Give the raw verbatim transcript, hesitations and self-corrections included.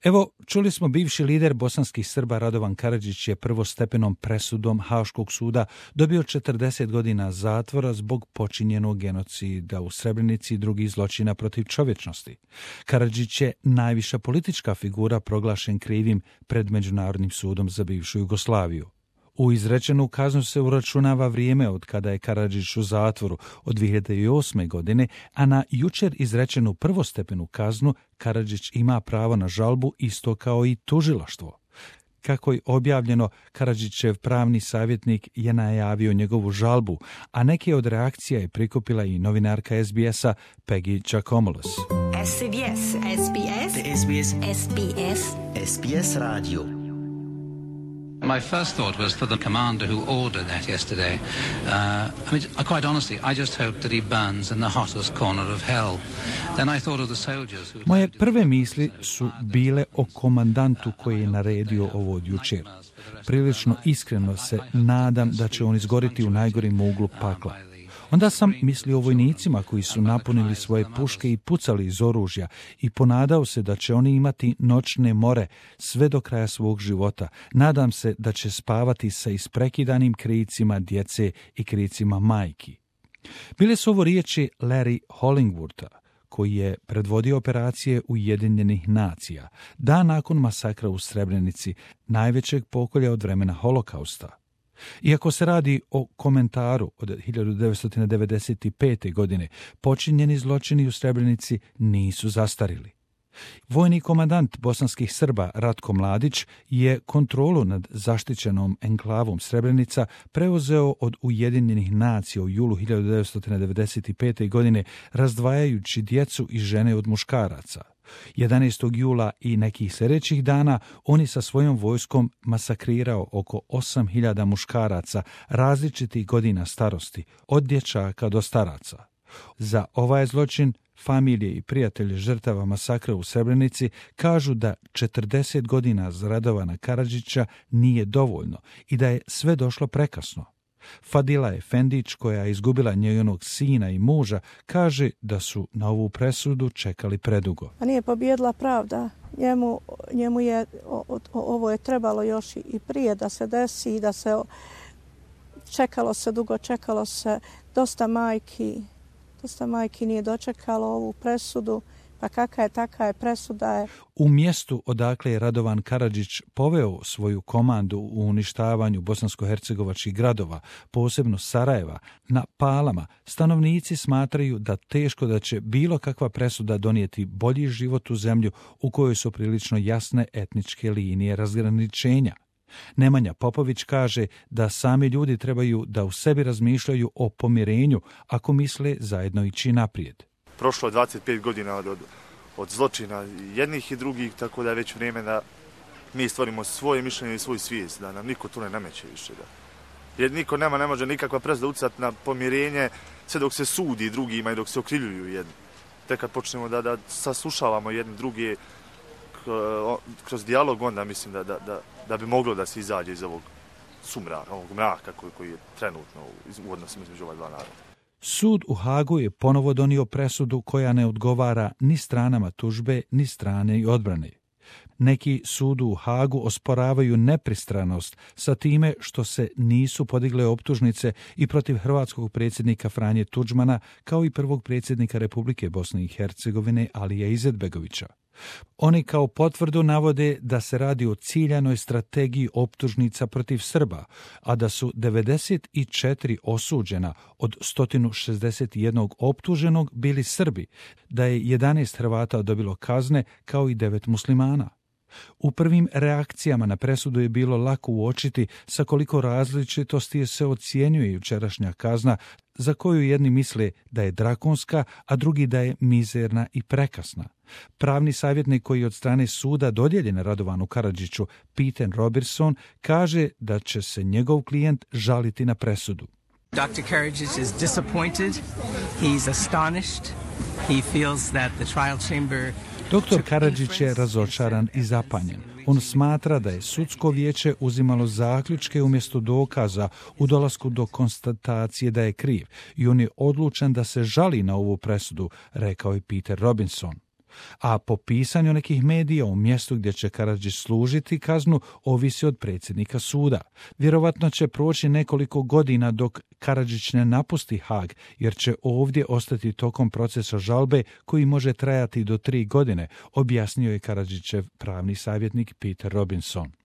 Evo, čuli smo, bivši lider bosanskih Srba Radovan Karadžić je prvostepenom presudom Haškog suda dobio četrdeset godina zatvora zbog počinjenog genocida u Srebrenici i drugih zločina protiv čovječnosti. Karadžić je najviša politička figura proglašen krivim pred Međunarodnim sudom za bivšu Jugoslaviju. U izrečenu kaznu se uračunava vrijeme od kada je Karadžić u zatvoru od dvije hiljade osme. godine, a na jučer izrečenu prvostepenu kaznu Karadžić ima pravo na žalbu isto kao i tužilaštvo. Kako je objavljeno, Karadžićev pravni savjetnik je najavio njegovu žalbu, a neke od reakcija je prikupila i novinarka S B S-a Peggy Giacomolos. S B S, S B S, S B S, S B S, S B S Radio. My first thought was for the commander who ordered that yesterday. Uh, I mean, quite honestly, I just hope that he burns in the hottest corner of hell. Then I thought of the soldiers who... Moje prve misli su bile o komandantu koji je naredio ovo od jučer. Prilično iskreno se nadam da će on izgoriti u najgorim uglu pakla. Onda sam mislio o vojnicima koji su napunili svoje puške i pucali iz oružja i ponadao se da će oni imati noćne more sve do kraja svog života. Nadam se da će spavati sa isprekidanim kricima djece i kricima majki. Bile su ovo riječi Larry Hollingwortha, koji je predvodio operacije Ujedinjenih nacija, dan nakon masakra u Srebrenici, najvećeg pokolja od vremena Holokausta. Iako se radi o komentaru od hiljadu devetsto devedeset pete. godine, počinjeni zločini u Srebrenici nisu zastarili. Vojni komandant bosanskih Srba Ratko Mladić je kontrolu nad zaštićenom enklavom Srebrenica preuzeo od Ujedinjenih nacija u julu hiljadu devetsto devedeset pete. godine, razdvajajući djecu i žene od muškaraca. jedanaestog jula i nekih sljedećih dana oni sa svojom vojskom masakrirao oko osam hiljada muškaraca različitih godina starosti, od dječaka do staraca. Za ovaj zločin familije i prijatelji žrtava masakra u Srebrenici kažu da četrdeset godina za Radovana Karadžića nije dovoljno i da je sve došlo prekasno. Fadila Efendić, koja je izgubila njenog sina i muža, kaže da su na ovu presudu čekali predugo. A nije pobijedila pravda. Njemu, njemu je, o, o, ovo je trebalo još i prije da se desi i da se čekalo se dugo, čekalo se dosta majki. Dosta majki nije dočekalo ovu presudu, pa kakva je, taka je presuda je. U mjestu odakle je Radovan Karadžić poveo svoju komandu u uništavanju bosansko-hercegovačkih gradova, posebno Sarajeva, na Palama, stanovnici smatraju da teško da će bilo kakva presuda donijeti bolji život u zemlju u kojoj su prilično jasne etničke linije razgraničenja. Nemanja Popović kaže da sami ljudi trebaju da u sebi razmišljaju o pomirenju ako misle zajedno ići naprijed. Prošlo je dvadeset pet godina od, od, od zločina jednih i drugih, tako da je već vrijeme da mi stvorimo svoje mišljenje i svoj svijest, da nam niko tu ne nameće više. Da. Jer niko nema, ne može nikakva presuda utjecati na pomirenje sve dok se sudi drugima i dok se okrivljuju jedni. Tek kad počnemo da, da saslušavamo jedni druge kroz dijalog, onda mislim da, da, da, da bi moglo da se izađe iz ovog sumraka, ovog mraka koji, koji je trenutno u odnosima između ova dva naroda. Sud u Hagu je ponovo donio presudu koja ne odgovara ni stranama tužbe, ni strane i odbrane. Neki sudu u Hagu osporavaju nepristranost sa time što se nisu podigle optužnice i protiv hrvatskog predsjednika Franje Tuđmana, kao i prvog predsjednika Republike Bosne i Hercegovine Alija Izetbegovića. Oni kao potvrdu navode da se radi o ciljanoj strategiji optužnica protiv Srba, a da su devedeset četiri osuđena od sto šezdeset jedan optuženog bili Srbi, da je jedanaest Hrvata dobilo kazne kao i devet muslimana. U prvim reakcijama na presudu je bilo lako uočiti sa koliko različitosti se ocjenjuje jučerašnja kazna, za koju jedni misle da je drakonska, a drugi da je mizerna i prekasna. Pravni savjetnik koji je od strane suda dodijeljen Radovanu Karadžiću, Peter Robertson, kaže da će se njegov klijent žaliti na presudu. doktor Karadžić is disappointed. He's astonished. He feels that the trial chamber Doktor Karadžić je razočaran i zapanjen. On smatra da je sudsko vijeće uzimalo zaključke umjesto dokaza u dolasku do konstatacije da je kriv i on je odlučan da se žali na ovu presudu, rekao je Peter Robinson. A po pisanju nekih medija u mjestu gdje će Karadžić služiti kaznu ovisi od predsjednika suda. Vjerovatno će proći nekoliko godina dok Karadžić ne napusti Haag, jer će ovdje ostati tokom procesa žalbe koji može trajati do tri godine, objasnio je Karadžićev pravni savjetnik Peter Robinson.